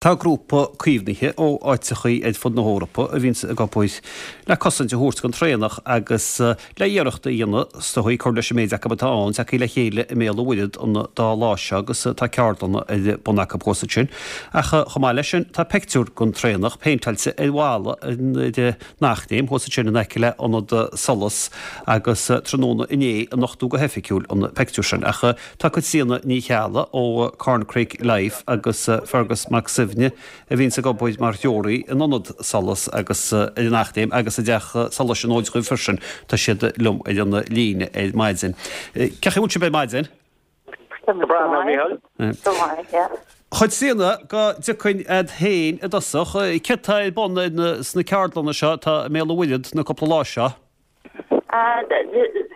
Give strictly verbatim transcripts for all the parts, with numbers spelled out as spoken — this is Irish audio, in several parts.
Tá grúpa caomhnaithe ó áiteachaí ar fud na hEorpa a bhíonns ag obair le cosaint a thabhairt don traonach agus le iarracht a dhéanamh is dóigh cur leis an méid acu atá ann, tagtha le chéile i mBéal an Mhuirthead an dá lá seo agus tá ceardlanna ar bun acu thuas ansin. Ach chomh maith leis sin tá pictiúr den traonach péinteáilte ar bhalla an Eachléim thuas ansin in aice le Ionad Solas agus tráthnóna inné a nochtadh go hoifigiúil an pictiúr sin. Ach tá Caitríona Ní Cheallaigh ó Corncrake Life agus Fergus Mac Suibhne a bhíonns ag obair mar threoraí in Ionad Solas agus ar an Eachléim agus i dTeach Solais an Fhóid freisin tá siad liom ar an líne ar maidin. Cén chaoi a bhfuil sibh ar maidin? Chaitríona, go dtiocfainn agat féin i dtosach, céard tá ar bun sna ceardlanna seo atá i mBéal an Mhuirthead na cúpla lá seo?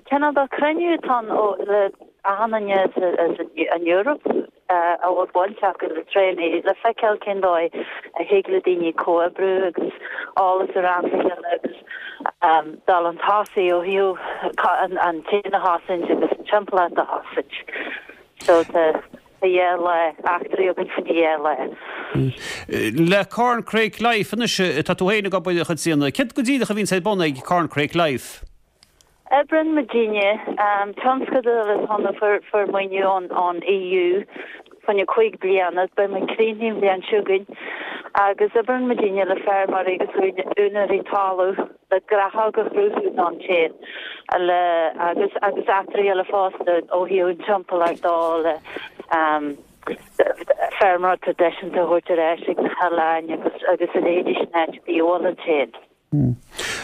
Cineál de chruinniú atá ann le achan duine as an Eoraip a bhfuil baint acu le traonaigh le feiceáil cén dóigh a thig le daoine comhoibriú agus eolas a roinnt le chéile agus dul chun tosaigh ó thaobh an t-éan a chosaint agus an timpeallacht a chosaint. So tá dhá lá eachtraí againn faoin dhá lá. Le Corncrake Life anois tá tú féin ag obair a Chaitríona. Céard go díreach a bhíonns ar bun ag Corncrake Life? Oibríonn muidinne tionscadal atá ann a fuair maoiniú ón E U fá choinne cúig bliana, beidh muid críochnaithe an bhliain seo chugainn, agus oibríonn muidinne le feirmeoirí agus úinéirí talamh le gnáthóg a chruthú don t-éan le agus agus eachtraí eile fosta ó thaobh an timpeallacht dó le feirmeoireacht traidisiúnta a thabhairt ar ais ag na hoileáin agus agus a leithéidí sin áit a bhfuil an t-éan.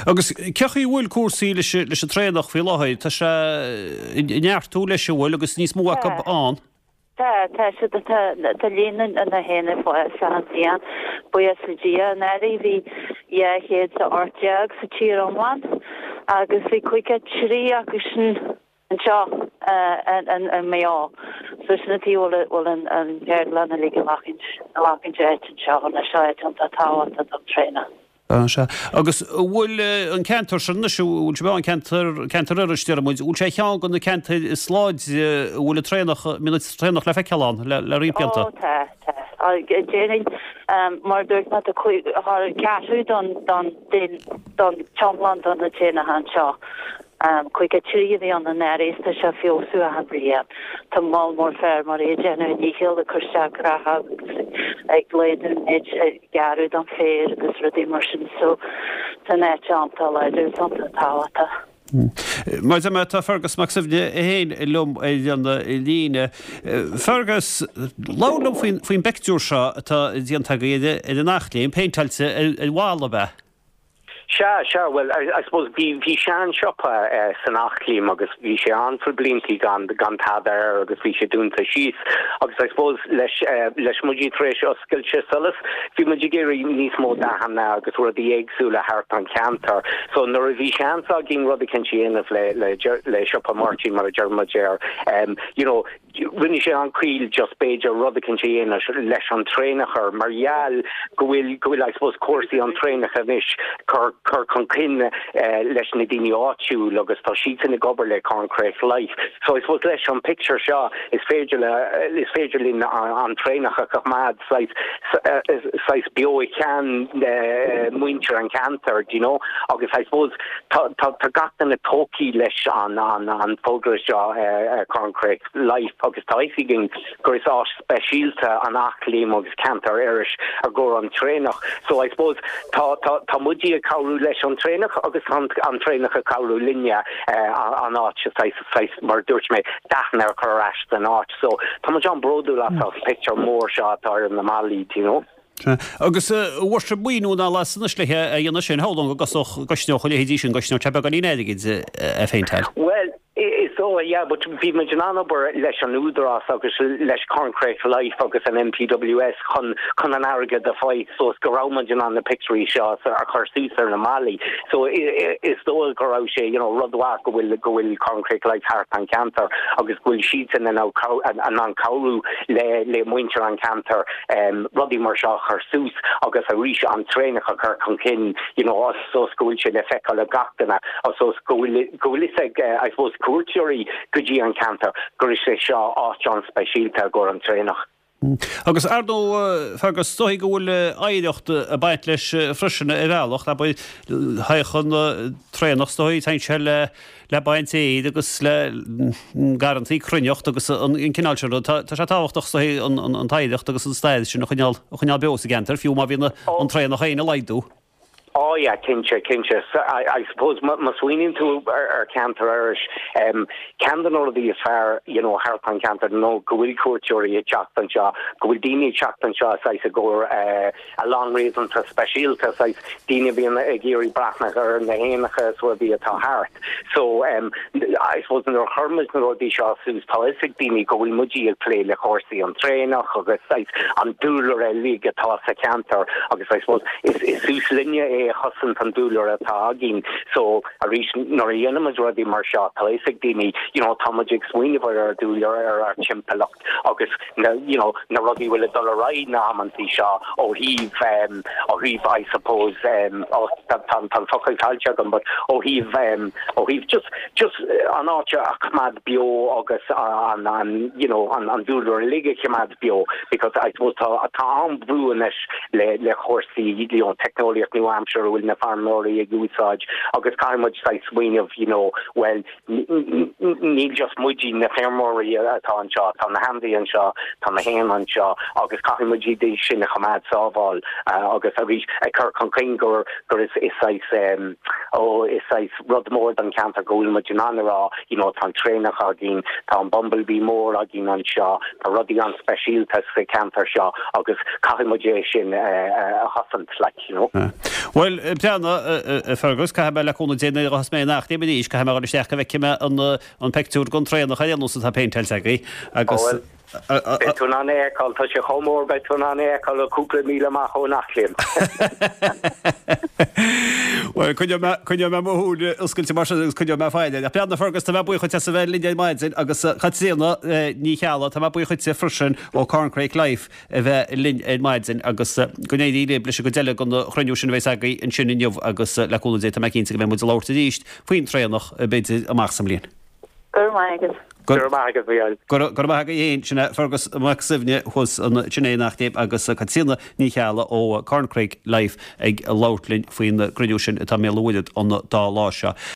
Agus cén chaoi a bhfuil cúrsaí leis leis an traonach faoi láthair? Tá sé ag neartú leis an bhfuil agus níos mó acu ann? Tá, tá siad tá tá líon na héin ag fás achan bhliain, buíochas le Dia. Anuraidh bhí dhá chéad is a hocht déag sa tír iomlán agus bhí caoga trí acu sin anseo i Maigh Eo. So sin an taobh a bhfuil an cheardlann uilig ag glacaint áit anseo anois, seo áit iontach tábhachtach don traonach. Sea. Agus an bhfuil an ceantar sin anois, an bhfuil sé an ceantar, ceantar Iorrais, deir muid, an bhfuil sé ar cheann de na ceantair is láidre a bhfuil an traonach, a mbíonn an traonach le feiceáil ann le, le roinnt blianta? Ó, tá, tá. Déarfainn, mar a dúirt mé, tá ceathrú don, don, don t-iomlán de na traonacha anseo. Caoga trí a bhí ann anuraidh is tá sé ag feabhsú achan bhliain. Tá moll mór feirmeoirí ag déanamh a ndícheall ag cur isteach gnáthóg agus ag laghdú an méid a gearradh den féar agus rudaí mar sin so tá an áit iontach láidir is iontach tábhachtach. Mar a deir mé, tá Fergus Mac Suibhne é féin liom ar an líne. Fergus, labhair liom faoin faoin bpictiúr seo atá déanta agaibh ar an Eachléim, péinteáilte ar bhalla, ab ea? Sea, sea, bhuel, I suppose bhí, bhí sean-siopa san Eachléim agus bhí sé ann for bliantaí gan, gan tada air agus bhí sé dúnta síos agus I suppose leis, leis muid tar éis oscailte Solas, bhí muid ag iarraidh níos mó dathanna agus rudaí éagsúla thart an ceantar. So nuair a bhí seans againn rud eicínt a dhéanamh le, le, le siopa Máirtín mar a deir muid air, you know, rinne sé an-chiall just b'fhéidir rud eicínt a dhéanamh leis an traonach air mar gheall go bhfuil go bhfuil I suppose cúrsaí an traonach anois cur cur chun cinn leis na daoine áitiúil agus tá siadsan ag obair le Corncrake Life. So I suppose leis an picture seo is féidir le is féidir linn an traonach a choimeád saghas saghas beo i gceann muintir an cheantair, do you know, agus I suppose tá tá tá gach duine tógtha leis an an an fógra seo Corncrake Life agus tá fhios againn gur is áit speisialta an Eachléim agus ceantar Iorrais i gcomhair an traonach. So I suppose tá tá tá muidí ag cabhrú leis an traonach agus tá an traonach ag cabhrú linne an áit saghas saghas mar dúirt mé dathanna a chur ar ais san áit. So tá muid an-bhródúil as an picture mór seo atá ar na ballaí, do you know. Agus an bhfuair sibh maoiniú ná las anois le a dhéanamh sin, shamhlóinn go gcosnódh gcosnódh a leithéidí sin, gcosnódh sé beagáinín airgid a phéinteáil. Well, is dóigh, yeah, but bhí muid in ann obair leis an Údarás agus leis Corncrake Life agus an N P W S chun chun an airgead a fháil so go raibh muid in ann na pictiúirí seo a chur suas ar na ballaí. So is dóigh go raibh sé you know, rud mhaith go bhfuil go bhfuil Corncrake Life thart an ceantar agus go bhfuil siadsan in ann cabhrú le le muintir an ceantar um, rudaí mar seo chur suas agus arís an traonach a chur chun cinn you know, sos go bhfuil sé le feiceáil ag gach duine sos go bhfuil go bhfuil fhios ag uh, I suppose cuairteoirí go dtí an ceantar gur is é seo áit an-speisialta i gcomhair an traonach. Agus ar ndóigh, Fergus, is dóigh go bhfuil oidhreacht ag baint leis freisin ar bhealach, abair, thagadh an traonach is dóigh, téann sé le le baint fhéir agus le garrantaí cruithneacht agus an cineál sin rud. Tá sé tábhachtach is dóigh an t-oidhreacht agus an stair sin a choinneáil a choinneáil beo sa gceantar, fiú má bhíonn an traonach féin ag laghdú. Oh yeah, cinnte, cinnte. I, I suppose má smaoiníonn tú ar, ar ceantar Iorrais, um, ceann de na rudaí is fearr, you know, thart an ceantar nó go bhfuil cuairteoirí ag teacht anseo, go bhfuil daoine ag teacht anseo saghas i gcomhair uh, a lán réasúnta speisialta saghas daoine bíonn ag iarraidh breathnú ar na héanacha is rudaí atá thart. So um, I suppose nuair a chuir muid na rudaí seo suas tá fhios ag daoine go bhfuil muid ag plé le cúrsaí an traonach agus saghas an dúlra uilig atá sa cheantar agus I suppose is, is suas linne é a chosaint an dúlra atá againn so arís nuair a dhéanaimid rudaí mar seo tá fhios ag daoine you know tá muid ag smaoineamh ar ar dúlra ar ar timpeallacht agus na you know na rudaí bhfuil ag dul ar aghaidh na hamanntaí seo ó thaobh um, ó thaobh I suppose um, ó tá tá focal caillte agam but ó thaobh um, ó thaobh just just an áit a choimeád beo agus an an you know an an dúlra uilig a choimeád beo because I suppose tá tá an-bhrú anois le le cúrsaí you know teicneolaíocht nua-aimseartha a bhfuil na feirmeoirí ag úsáid agus caithfidh muid saghas smaoineamh you know well níl just muid na feirmeoirí atá anseo tá na hainmhithe anseo tá na héin anseo agus caithfidh muid iad sin a choimeád sábháil uh, agus arís ag cur chun cinn gur gur is is saghas um, ó is saghas rud mór don ceantar go bhfuil muid in ann a rá you know tá an traonach againn tá an bumblebee mór againn anseo tá rudaí an-speisialta sa ceantar seo agus caithfidh muid é sin uh, a chosaint like you know. Well breathnaigh Fergus caithfidh mé le cúnamh Dé nuair a mé nach dé is caithfidh mé isteach go bhfeicfidh mé an an pictiúr den traonach ar nós atá péinteáilte agaibh agus Beidh tú in ann é a fheiceáil tá sé chomh mór beidh tú in ann é a fheiceáil cúpla míle amach ón Eachléim. Well coinneoidh mé mo shúile oscailte mar sin agus coinneoidh mé faire. Ach breathnaigh Fergus tá mé buíoch as a bheith linn ar maidin agus Caitríona Ní Cheallaigh tá mé buíoch freisin ó Corncrake Life a bheith linn ar maidin agus go n-éirí libh leis an gcuid eile den chruinniú sin a bheas agaibh ansin inniu agus le cúnamh Dé tá mé cinnte go mbeidh muid ag labhairt arís faoin traonach b'fhéidir amach sa mbliain. Go raibh maith agat. Go raibh maith agat Mhícheáil. Go raibh maith agat féin sin é Fergus Mac Suibhne thuas ansin in Eachléim agus Caitríona Ní Cheallaigh ó Corncrake Life ag labhairt linn faoin gcruinniú sin atá i mBéal an Mhuirthead an dá lá seo.